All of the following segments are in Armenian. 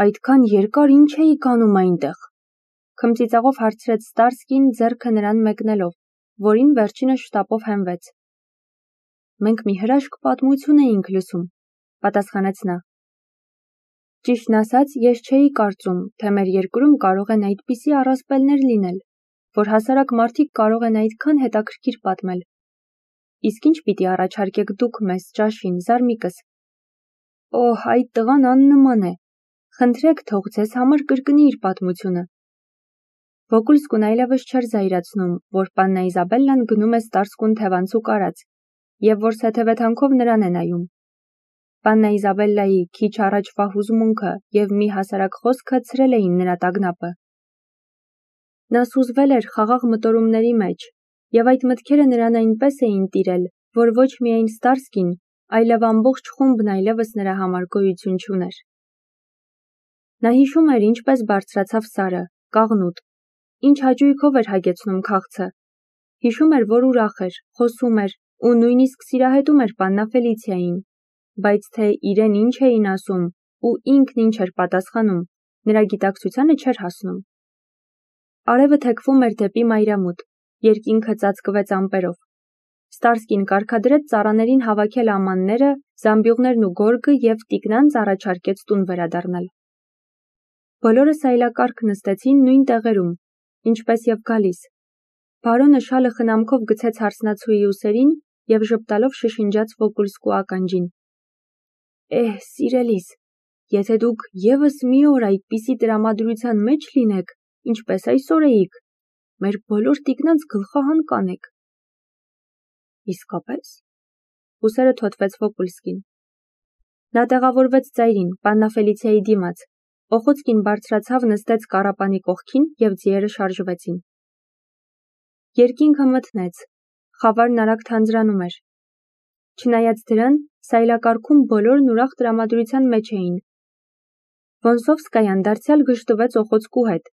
Այդքան երկար ինչ էիք անում այնտեղ։ Քմծիծաղով հարցրեց Ստարսկին ձեռքը նրան մեկնելով, որին վերջինս շտապով հենվեց։ Մենք մի հրաշք պատմություն էինք լսում, պատասխանեց նա։ Ճիշտն ասած, ես չէի կարծում, թե մեր երկրում կարող են այդպիսի առասպելներ լինել, որ հասարակ մարդիկ կարող են այդքան հետաքրքիր պատմել։ Իսկ ինչ պիտի առաջարկեք դուք մեզ ճաշին, զարմիկս։ Օհ, այդ տղան աննման է։ Խնդրեք, թող ձեզ համար կրկնի իր պատմությունը։ Վոկուլսկուն այլևս չէր զայրացնում, որ պաննա Իզաբելլան գնում է Ստարսկուն թևանցուկ արած, և որ սեթևեթանքով նրան է նայում։ Պաննա Իզաբելլայի քիչ առաջվա հուզմունքը և մի հասարակ խոսքը ցրել էին նրա տագնապը։ Նա սուզվել էր խաղաղ մտորումների մեջ, և այդ մտքերը նրան այնպես էին տիրել, որ ոչ միայն Ստարսկին, այլև ամբողջ խումբն այլևս նրա համար գոյություն չուներ։ Նա հիշում էր ինչպես բարձրացավ Սարը, կաղնուտ, ինչ հաճույքով էր հագեցնում քաղցը։ Հիշում էր, որ ուրախ էր, խոսում էր ու նույնիսկ սիրահետում էր պաննա Ֆելիցիային, բայց թե իրեն ինչ էին ասում ու ինքն ինչ էր պատասխանում, նրա գիտակցությանը չէր հասնում։ Արևը թեքվում էր դեպի մայրամուտ, երկինքը ծածկվեց ամպերով։ Ստարսկին կարգադրեց ծառաներին հավաքել ամանները, զամբյուղներն ու գորգը և տիկնանց առաջարկեց տուն վերադառնալ։ Բոլորը սայլակարգ նստեցին նույն տեղերում, ինչպես և գալիս։ Բարոնը շալը խնամքով գցեց հարսնացուի ուսերին և ժպտալով շշնջաց Վոկուլսկու ականջին. սիրելիս, եթե դուք ևս մի օր այդպիսի տրամադրության մեջ լինեք, ինչպես այսօր էիք, մեր բոլոր տիկնանց գլխահան կանեք։ Իսկապես։ Ուսերը թոթվեց Վոկուլսկին։ Նա տեղավորվեց ծայրին, պաննա Ֆելիցիայի դիմաց։ Օխոցկին բարձրացավ, նստեց կառապանի կողքին և ձիերը շարժվեցին։ Երկինքը մթնեց, խավարն արագ թանձրանում էր։ Չնայած դրան, սայլակարգում բոլորն ուրախ տրամադրության մեջ էին։ Վոնսովսկայան դարձյալ գժտվեց Օխոցկու հետ,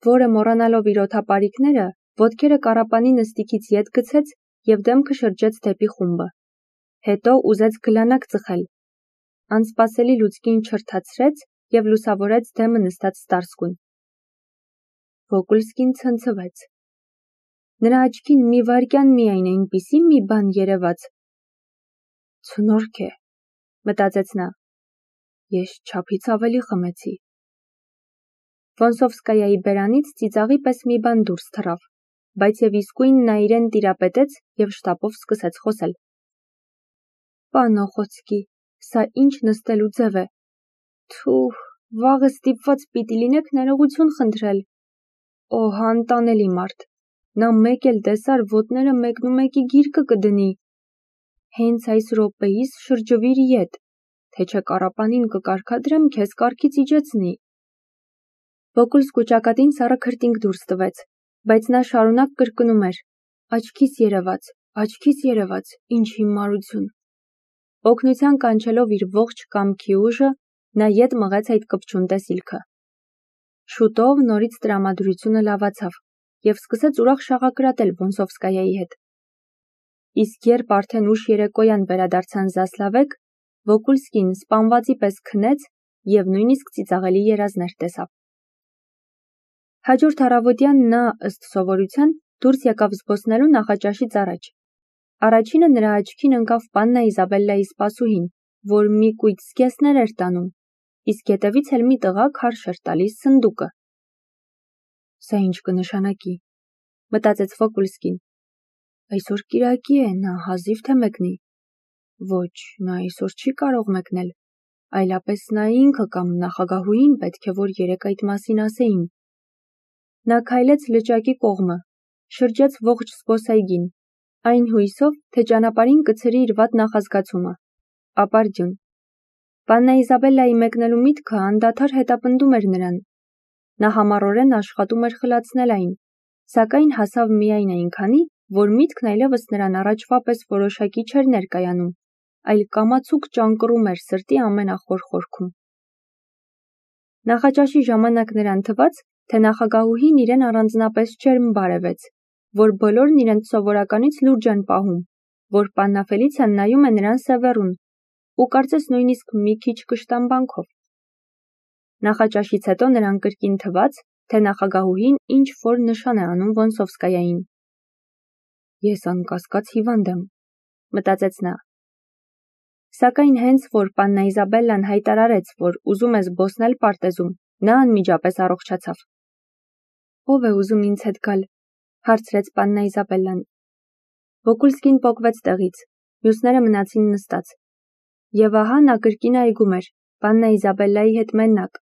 որը մոռանալով իր օդապարիկները, ոտքերը կառապանի նստիքից ետ գցեց և դեմքը շրջեց դեպի խումբը։ Հետո ուզեց գլանակ ծխել։ Անսպասելի լուցկին չրթացրեց և լուսավորեց դեմը նստած Ստարսկուն։ Վոկուլսկին ցնցվեց։ Նրա աչքին մի վայրկյան միայն այնպիսի մի բան երևաց։ Ցնորք է, մտածեց նա։ Ես չափից ավելի խմեցի։ Վոնսովսկայայի բերանից ծիծաղի պես մի բան դուրս թռավ, բայց և իսկույն նա իրեն տիրապետեց և շտապով սկսեց խոսել։ Պան Օխոցկի, սա ինչ նստելու ձև է։ Թուհ, վաղը ստիպված պիտի լինեք ներողություն խնդրել։ Օհ, անտանելի մարդ։ Նա մեկ էլ տեսար ոտները մեկնումեկի գիրկը կդնի։ Հենց այս րոպեիս շրջվիր ետ, թե չէ կառապանին կկարգադրեմ քեզ կառքից իջեցնի։ Վոկուլսկու ճակատին սառը քրտինք դուրս տվեց, բայց նա շարունակ կրկնում էր. Աչքիս երևաց, ինչ հիմարություն։ Օգնության կանչելով իր ողջ կամքի ուժը, նա ետ մղեց այդ կպչուն տեսիլքը։ Շուտով նորից տրամադրությունը լավացավ և սկսեց ուրախ շաղակրատել Վոնսովսկայայի հետ։ Իսկ երբ արդեն ուշ երեկոյան վերադարձան Զասլավեկ, Վոկուլսկին սպանվածի պես քնեց և նույնիսկ ծիծաղելի երազներ տեսավ։ Հաջորդ առավոտյան նա, ըստ սովորության, դուրս եկավ զբոսնելու նախաճաշից առաջ։ Առաջինը նրա աչքին ընկավ պաննա Իզաբելլայի սպասուհին, որ մի կույտ զգեստներ էր տանում, իսկ հետևից էլ մի տղա քարշ էր տալիս սնդուկը։ Սա ինչ կնշանակի, մտածեց Վոկուլսկին։ Այսօր կիրակի է, նա հազիվ թե մեկնի։ Ոչ, նա այսօր չի կարող մեկնել, այլապես նա ինքը կամ նախագահուհին պետք է որ երեկ այդ մասին ասեին։ Նա քայլեց լճակի կողմը, շրջեց ողջ զբոսայգին, այն հույսով, թե ճանապարհին կցրի իր վատ նախազգացումը։ Ապարդյուն։ Պաննա Իզաբելլայի մեկնելու միտքը անդադար հետապնդում էր նրան։ Նա համառորեն աշխատում էր խլացնել այն, սակայն հասավ միայն այնքանի, որ միտքն այլևս նրան առաջվա պես որոշակի չէր ներկայանում, այլ կամացուկ ճանկռում էր սրտի ամենախոր խորքում։ Նախաճաշի ժամանակ նրան թվաց, թե նախագահուհին իրեն առանձնապես ջերմ բարևեց, որ բոլորն իրենց սովորականից լուրջ են պահում, որ պաննա Ֆելիցիան նայում է նրան սևեռուն ու կարծես նույնիսկ մի քիչ կշտամբանքով։ Նախաճաշից հետո նրան կրկին թվաց, թե նախագահուհին ինչ-որ նշան է անում Վոնսովսկայային։ Ես անկասկած հիվանդ եմ, մտածեց նա։ Սակայն հենց որ պաննա Իզաբելլան հայտարարեց, որ ուզում է զբոսնել պարտեզում, նա անմիջապես առողջացավ։ Ո՞վ է ուզում ինձ հետ գալ, հարցրեց պաննա Իզաբելլան։ Վոկուլսկին պոկվեց տեղից, մյուսները մնացին նստած։ Եվ ահա նա կրկին այգում էր, պաննա Իզաբելլայի հետ մենակ,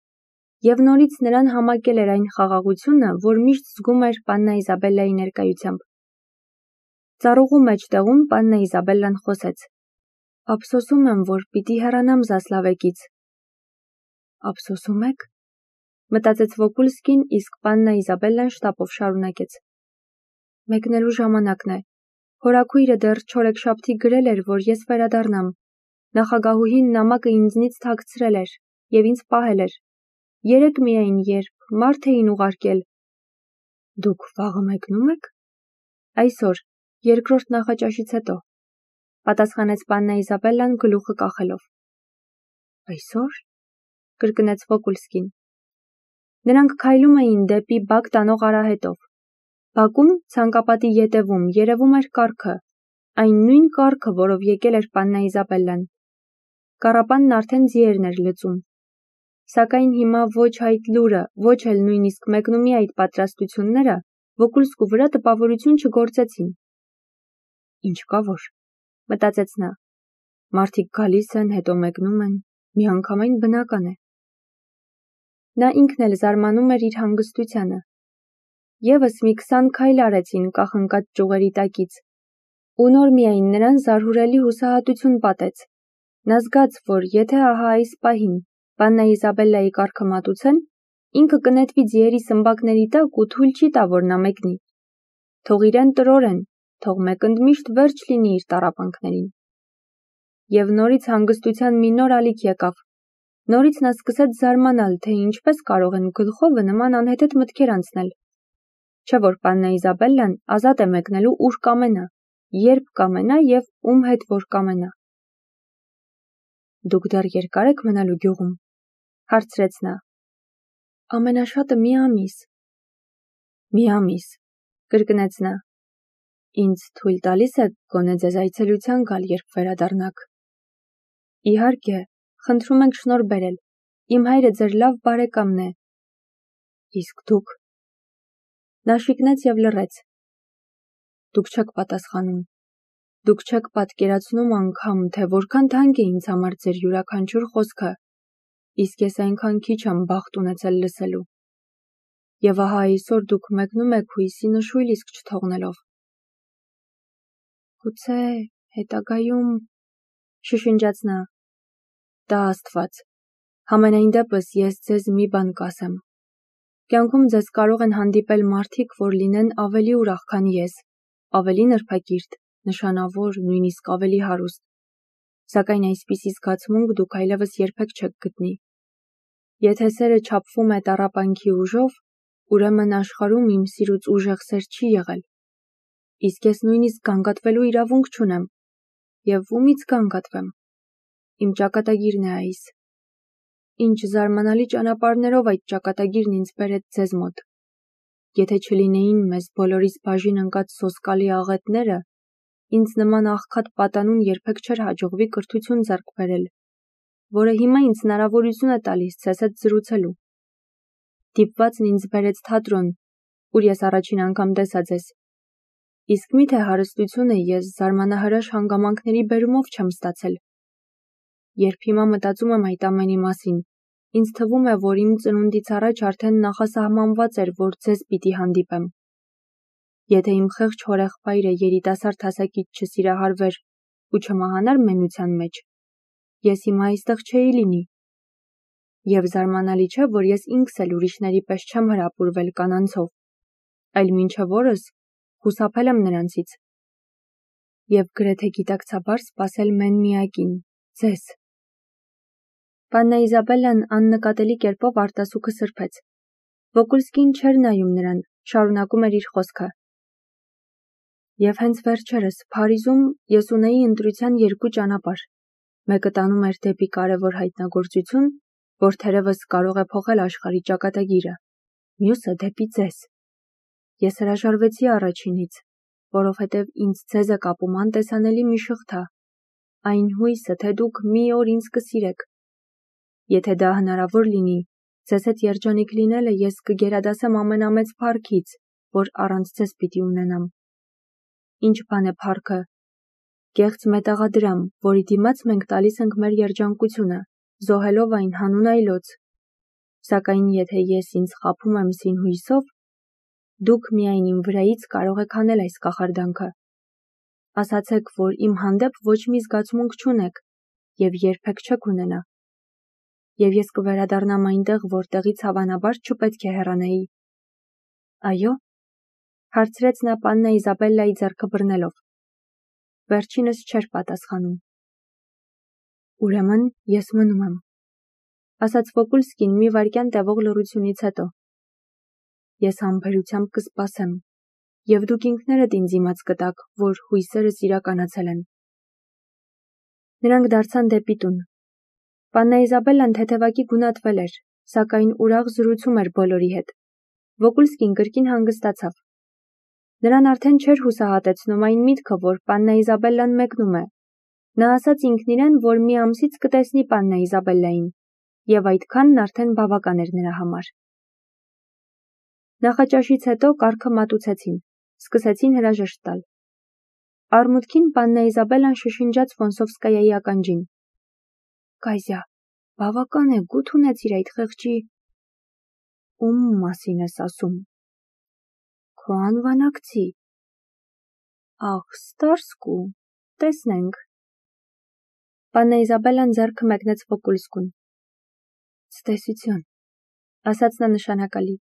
եւ նորից նրան համակել էր այն խաղաղությունը, որ միշտ զգում էր պաննա Իզաբելլայի ներկայությամբ։ Ծառուղու մեջտեղում պաննա Իզաբելլան խոսեց. Ափսոսում եմ, որ պիտի հեռանամ Զասլավեկից։ Ափսոսում եք, մտածեց Վոկուլսկին, իսկ պաննա Իզաբելլան շտապով շարունակեց. Մեկնելու ժամանակն է։ Հորաքույրը դեռ չորեքշաբթի գրել էր, որ ես վերադառնամ։ Նախագահուհին նամակը ինձնից թաքցրել էր եւ ինձ պահել էր։ Երեկ միայն երբ մարդ էին ուղարկել։ Դուք վաղը մեկնում եք։ Այսօր, երկրորդ նախաճաշից հետո, պատասխանեց պաննա Իզաբելլան գլուխը կախելով։ Այսօր, կրկնեց Վոկուլսկին։ Նրանք քայլում էին դեպի բակ տանող արահետով։ Բակում ցանկապատի ետևում երևում էր կառքը, այն նույն կառքը, որով եկել էր պաննա Իզաբելլան։ Կառապանն արդեն ձիերն էր լծում։ Սակայն հիմա ոչ այդ լուրը, ոչ էլ նույնիսկ մեկնումի այդ պատրաստությունները Վոկուլսկու վրա տպավորություն չգործեցին։ Ինչ կա որ, մտածեց նա։ Մարդիկ գալիս են, հետո մեկնում են, միանգամայն բնական է։ Նա ինքն էլ զարմանում էր իր հանգստությանը։ Եվս մի 20 քայլ արեցին կախնկած ճյուղերի տակից, ու նոր միայն նրան զարհուրելի հուսահատություն պատեց։ Նա զգաց, որ եթե ահա այս պահին պաննա Իզաբելլայի կառքը մատուցեն, ինքը կնետվի ձիերի սմբակների տակ ու թույլ չի տա, որ նա մեկնի։ Թող իրեն տրորեն, թող մեկ ընդմիշտ վերջ լինի իր տառապանքներին։ Եվ նորից հանգստության մի նոր ալիք եկավ։ Նորից նա սկսեց զարմանալ, թե ինչպես կարող են գլխովը նման անհեթեթ մտքեր անցնել։ Չէ որ պաննա Իզաբելլան ազատ է մեկնելու ուր կամենա, երբ կամենա եւ ում հետ որ կամենա։ Դուք դեռ երկար եք մնալու գյուղում, հարցրեց նա։ Ամենաշատը մի ամիս։ Մի ամիս, կրկնեց նա։ Ինձ թույլ տալիս եք գոնե ձեզ այցելության գալ, երբ վերադառնաք։ Իհարկե, խնդրում ենք շնորհ բերել։ Իմ հայրը ձեր լավ բարեկամն է։ Իսկ դուք։ Նա շիկնեց եւ լռեց։ Դուք չեք պատասխանում։ Դուք չեք պատկերացնում անգամ, թե որքան թանկ է ինձ համար ձեր յուրաքանչյուր խոսքը, իսկ ես այնքան քիչ եմ բախտ ունեցել լսելու։ Եվ ահա այսօր դուք մեկնում եք հույսի նշույլ իսկ չթողնելով։ Գուցե հետագայում, շշնջաց նա։ Դա Աստված։ Համենայն դեպս ես ձեզ մի բան կասեմ։ Կյանքում ձեզ կարող են հանդիպել մարդիկ, որ լինեն ավելի ուրախ, քան ես, ավելի նրբակիրթ, նշանավոր, նույնիսկ ավելի հարուստ։ Սակայն այսպիսի զգացմունք դուք այլևս երբեք չեք գտնի։ Եթե սերը չափվում է տառապանքի ուժով, ուրեմն աշխարհում իմ սիրուց ուժեղ սեր չի եղել։ Իսկ ես նույնիսկ գանգատվելու իրավունք չունեմ։ Եվ ումից գանգատվեմ։ Իմ ճակատագիրն է այս։ Ինչ զարմանալի ճանապարհներով այդ ճակատագիրն ինձ բերեց ձեզ մոտ։ Եթե չլինեին մեզ բոլորիս բաժին ընկած սոսկալի աղետները, ինձ նման աղքատ պատանուն երբեք չէր հաջողվի կրթություն ձեռք բերել, որը հիմա ինձ հնարավորություն է տալիս ձեզ հետ զրուցելու։ Դիպվածն ինձ բերեց թատրոն, ուր ես առաջին անգամ տեսա ձեզ։ Իսկ միթե հարստությունը ես զարմանահրաշ հանգամանքների բերումով չեմ ստացել։ Երբ հիմա մտածում եմ այդ ամենի մասին, ինձ թվում է, որ իմ ծնունդից առաջ արդեն նախասահմանված էր, որ ձեզ պիտի հանդիպեմ։ Եթե իմ խեղճ հորեղբայրը երիտասարդ հասակից չսիրահարվեր ու չմահանար մենության մեջ, ես հիմա այստեղ չէի լինի։ Եվ զարմանալի չէ, որ ես ինքս էլ ուրիշների պես չեմ հրապուրվել կանանցով, այլ մինչև օրս խուսափել եմ նրանցից։ Եվ գրեթե գիտակցաբար սпасել մեն-միակին, ձեզ։ Պաննա Իզաբելլան աննկատելի կերպով արտասուքը սրբեց։ Վոկուլսկին չէր նայում նրան, շարունակում էր իր խոսքը։ Եվ հենց վերջերս Փարիզում ես ունեի ընտրության երկու ճանապարհ։ Մեկը տանում էր դեպի կարևոր հայտնագործություն, որ թերևս կարող է փոխել աշխարհի ճակատագիրը, մյուսը դեպի ձեզ։ Ես հրաժարվեցի առաջինից, որովհետև ինձ ձեզ է կապում անտեսանելի մի շղթա, այն հույսը, թե դուք մի օր ինձ կսիրեք։ Եթե դա հնարավոր լինի, ձեզ հետ երջանիկ լինելը ես կգերադասեմ ամենամեծ փառքից, որ առանց ձեզ պիտի ունենամ։ Ինչ բան է փառքը։ Կեղծ մետաղադրամ, որի դիմաց մենք տալիս ենք մեր երջանկությունը, զոհելով այն հանուն այլոց։ Սակայն եթե ես ինձ խաբում եմ սին հույսով, դուք միայն իմ վրայից կարող եք անել այս կախարդանքը։ Ասացեք, որ իմ հանդեպ ոչ մի զգացմունք չունեք և երբեք չեք ունենա։ Եվ ես կվերադառնամ այնտեղ, որտեղից հավանաբար չպետք է հեռանայի։ Այո, հարցրեց նա պաննա Իզաբելլայի ձեռքը բռնելով։ Վերջինս չէր պատասխանում։ Ուրեմն ես մնում եմ, ասաց Վոկուլսկին մի վայրկյան տևող լռությունից հետո։ Ես համբերությամբ կսպասեմ, և դուք ինքներդ ինձ իմաց կտաք, որ հույսերս իրականացել են։ Նրանք դարձան դեպի տուն։ Պաննա Իզաբելլան թեթևակի գունատվել էր, սակայն ուրախ զրուցում էր բոլորի հետ։ Վոկուլսկին կրկին հանգստացավ։ Նրան արդեն չէր հուսահատեցնում այն միտքը, որ պաննա Իզաբելլան մեկնում է։ Նա ասաց ինքն իրեն, որ մի ամսից կտեսնի պաննա Իզաբելլային, և այդքանն արդեն բավական էր նրա համար։ Նախաճաշից հետո կառքը մատուցեցին, սկսեցին հրաժեշտ տալ։ Արմուտքին պաննա Իզաբելլան շշնջաց Ֆոնսովսկայայի ականջին. Կայզյա, բավական է, գութ ունեցիր այդ խեղճի։ Ում մասին ես ասում։ Քո անվանակցի։ Ախ, Ստարսկու, տեսնենք։ Պաննա Իզաբելլան ձեռքը մեկնեց Վոկուլսկուն։ Ցտեսություն, ասաց նա նշանակալի։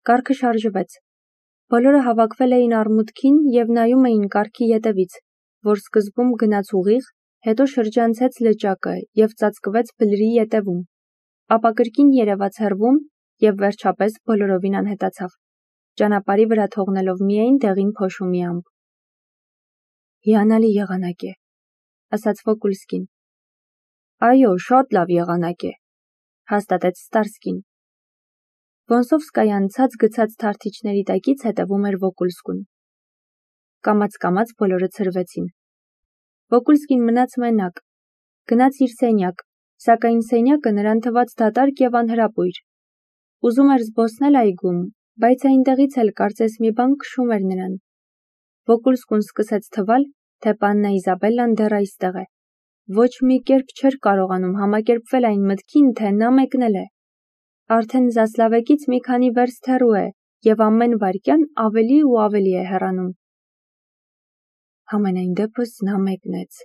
Կառքը շարժվեց։ Բոլորը հավաքվել էին արմուտքին և նայում էին կառքի ետևից, որ սկզբում գնաց ուղիղ, հետո շրջանցեց լճակը և ծածկվեց բլրի ետևում, ապա կրկին երևաց հեռվում և վերջապես բոլորովին անհետացավ, ճանապարհի վրա թողնելով միայն դեղին փոշու մի ամպ։ Հիանալի եղանակ է, ասաց Վոկուլսկին։ Այո, շատ լավ եղանակ է, հաստատեց Ստարսկին։ Ֆոնսովսկայան ցած գցած թարթիչների տակից հետևում էր Վոկուլսկուն։ Կամաց-կամաց բոլորը ցրվեցին։ Վոկուլսկին մնաց մենակ, գնաց իր սենյակ, սակայն սենյակը նրան թվաց դատարկ և անհրապույր։ Ուզում էր զբոսնել այգում, բայց այնտեղից էլ կարծես մի բան քշում էր նրան։ Վոկուլսկուն սկսեց թվալ, թե պաննա Իզաբելլան դեռ այստեղ է։ Ոչ մի կերպ չէր կարողանում համակերպվել այն մտքին, թե նա մեկնել է։ Արդեն Զասլավեկից մի քանի վերստ հեռու է և ամեն վայրկյան ավելի ու ավելի է հեռանում։ Համենայն դեպս նա մեկնեց,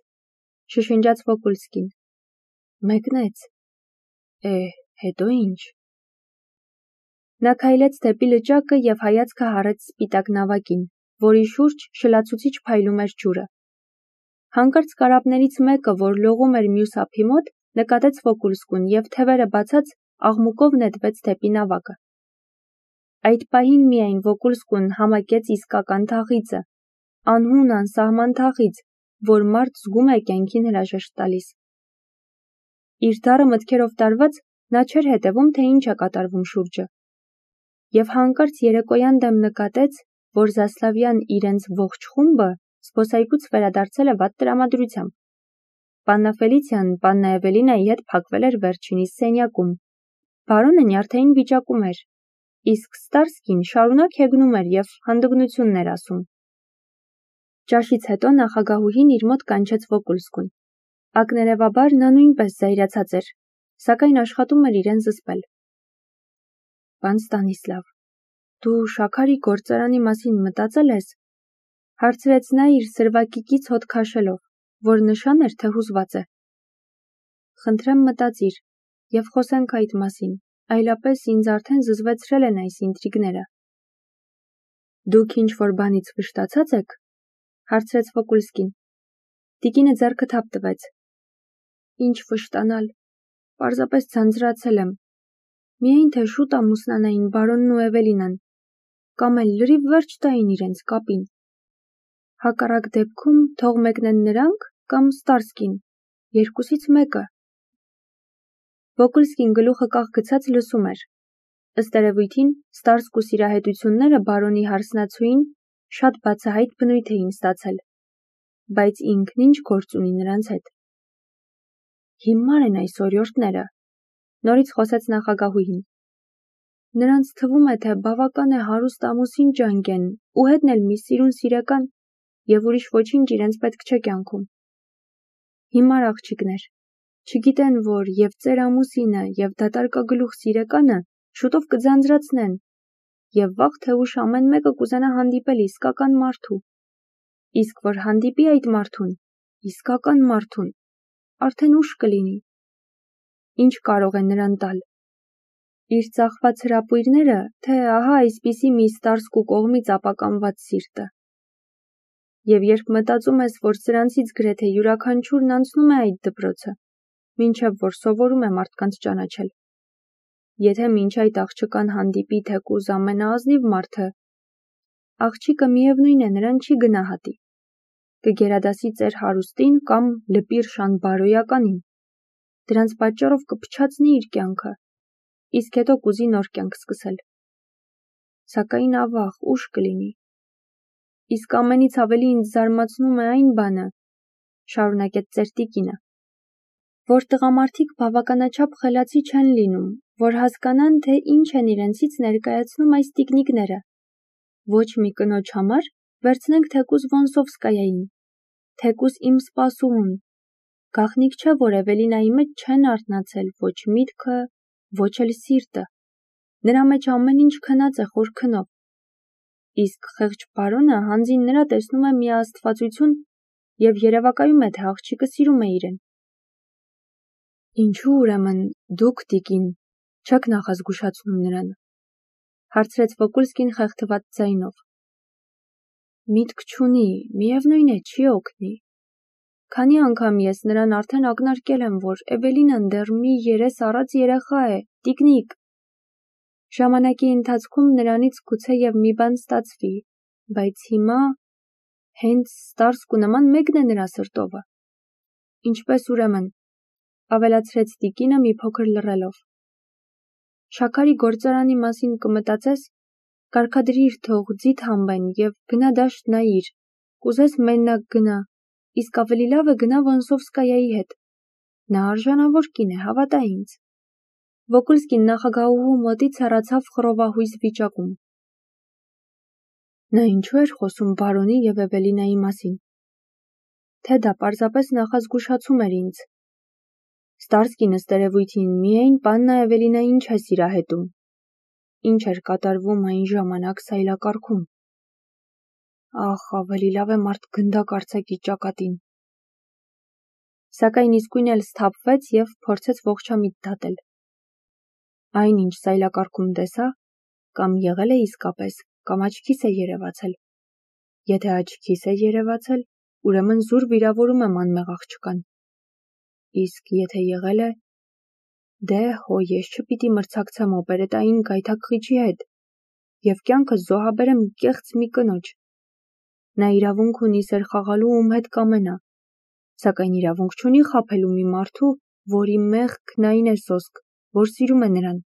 շշնջաց Վոկուլսկին։ Մեկնեց։ Հետո ինչ։ Նա քայլեց դեպի լճակը և հայացքը հառեց սպիտակ նավակին, որի շուրջ շլացուցիչ փայլում էր ջուրը։ Հանկարծ կարապներից մեկը, որ լողում էր մյուս ափի մոտ, նկատեց Վոկուլսկուն և թևերը բացած աղմուկով նետվեց դեպի նավակը։ Այդ պահին միայն Վոկուլսկուն համակեց իսկական թախիծը, անհուն անսահման թախիծ, որ մարդ զգում է կյանքին հրաժեշտ տալիս։ Իր դառը մտքերով տարված նա չէր հետևում, թե ինչ է կատարվում շուրջը։ Եվ հանկարծ երեկոյան դեմ նկատեց, որ Զասլավյան իրենց ողջ խումբը զբոսայգուց վերադարձել է վատ տրամադրությամբ։ Պաննա Ֆելիցիան պաննա Էվելինայի հետ փակվել էր վերջինիս սենյակում։ Բարոնը նյարդային վիճակում էր, իսկ Ստարսկին շարունակ հեգնում էր և հանդգնություններ էր ասում։ Ճաշից հետո նախագահուհին իր մոտ կանչեց Վոկուլսկուն։ Ակներևաբար նա նույնպես զայրացած էր, սակայն աշխատում էր իրեն զսպել։ Պան Ստանիսլավ, դու շաքարի գործարանի մասին մտածել ես, հարցրեց նա իր սրվակիկից հոտ քաշելով, որ նշան էր, թե հուզված է։ Խնդրեմ մտածիր և խոսենք այդ մասին, այլապես ինձ արդեն զզվեցրել են այս ինտրիգները։ Դուք ինչ-որ բանից վշտացած եք, հարցրեց Վոկուլսկին։ Տիկինը ձեռքը թափ տվեց։ Ինչ վշտանալ, պարզապես ձանձրացել եմ։ Միայն թե շուտ ամուսնանային բարոնն ու Էվելինան, կամ էլ լրիվ վերջ տային իրենց կապին։ Հակառակ դեպքում թող մեկնեն նրանք կամ Ստարսկին, երկուսից մեկը։ Վոկուլսկին գլուխը կաղ գցած լսում էր։ Ըստ երևույթին, Ստարսկու սիրահետությունները բարոնի հարսնացուին շատ բացահայտ բնույթ էին ստացել, բայց ինքն ինչ գործ ունի նրանց հետ։ Հիմար են այս օրիորդները, նորից խոսեց նախագահուհին։ Նրանց թվում է, թե բավական է հարուստ ամուսին ջանքեն ու հետն էլ մի սիրուն սիրեկան և ուրիշ ոչինչ իրենց պետք չէ կյանքում։ Հիմար աղջիկներ, չգիտեն, որ և ծեր ամուսինը և դատարկագլուխ սիրեկանը շուտով կձանձրացնեն և վաղ թե ուշ ամեն մեկը կուզենա հանդիպել իսկական մարդու։ Իսկ որ հանդիպի այդ մարդուն, իսկական մարդուն, արդեն ուշ կլինի։ Ինչ կարող է նրան տալ։ Իր ծախված հրապույրները, թե ահա այսպիսի մի Ստարսկու կողմից ապականված սիրտը։ Եվ երբ մտածում ես, որ սրանցից գրեթե յուրաքանչյուրն անցնում է այդ դպրոցը, մինչև որ սովորում է մարդկանց ճանաչել։ Եթե մինչ այդ աղջկան հանդիպի թեկուզ ամենաազնիվ մարդը, աղջիկը միևնույն է նրան չի գնահատի, կգերադասի ծեր հարուստին կամ լպիր շան բարոյականին, դրանց պատճառով կփչացնի իր կյանքը, իսկ հետո կուզի նոր կյանք սկսել։ Սակայն ավաղ, ուշ կլինի։ Իսկ ամենից ավելի ինձ զարմացնում է այն բանը, շարունակեց ծեր տիկինը, որ տղամարդիկ բավականաչափ խելացի չեն լինում, որ հասկանան, թե ինչ են իրենցից ներկայացնում այս տիկնիկները։ Ոչ մի կնոջ համար վերցնենք թեկուզ Վոնսովսկայային, թեկուզ իմ սպասուհուն։ Գաղտնիք չէ, որ Էվելինայի մեջ չեն արթնացել ոչ միտքը, ոչ էլ սիրտը։ Նրա մեջ ամեն ինչ քնած է խոր քնով։ Իսկ խեղճ բարոնը հանձին նրա տեսնում է միաստվածություն և երևակայում է, թե աղջիկը սիրում է իրեն։ Ինչու ուրեմն դուք, տիկին, չեք նախազգուշացնում նրան, հարցրեց Վոկուլսկին խեղդված ձայնով։ Միտք չունի, միևնույն է, չի օգնի։ Քանի անգամ ես նրան արդեն ակնարկել եմ, որ Էվելինան դեռ մի երես առած երեխա է, տիկնիկ։ Ժամանակի ընթացքում նրանից գուցեև մի բան ստացվի, բայց հիմա հենց Ստարսկու նման մեկն է նրա սրտովը։ Ինչպես ուրեմն, ավելացրեց տիկինը մի փոքր լռելով։ Շաքարի գործարանի մասին կմտածես, կարգադրիր թող ձիթ հանբեն և գնա դաշտ նայիր, կուզես մենակ գնա, իսկ ավելի լավ է գնա Վոնսովսկայայի հետ։ Նա արժանավոր կին է, հավատա ինձ։ Վոկուլսկին նախագահուհու մոտից հեռացավ խռովահույզ վիճակում։ Նա ինչու էր խոսում բարոնի և Էվելինայի մասին։ Թե դա պարզապես նախազգուշացում էր ինձ։ Ստարսկին ըստ երևույթին միայն պաննա Էվելինային չէ սիրահետում։ Ինչ էր կատարվում այն ժամանակ սայլակարգում։ Ախ, ավելի լավ է մարդ գնդակ արձակի ճակատին։ Սակայն իսկույն էլ սթափվեց և փորձեց ողջամիտ դատել։ Այն, ինչ սայլակարգում տեսա, կամ եղել է իսկապես, կամ աչքիս է երևացել։ Եթե աչքիս է երևացել, ուրեմն զուր վիրավորում եմ անմեղ աղջկան։ Իսկ եթե եղել է, դե հո ես չպիտի մրցակցեմ օպերետային գայթակղիչի հետ և կյանքս զոհաբերեմ կեղծ մի կնոջ։ Նա իրավունք ունի սեր խաղալու ում հետ կամենա, սակայն իրավունք չունի խաբելու մի մարդու, որի մեղքն այն է սոսկ, որ սիրում է նրան։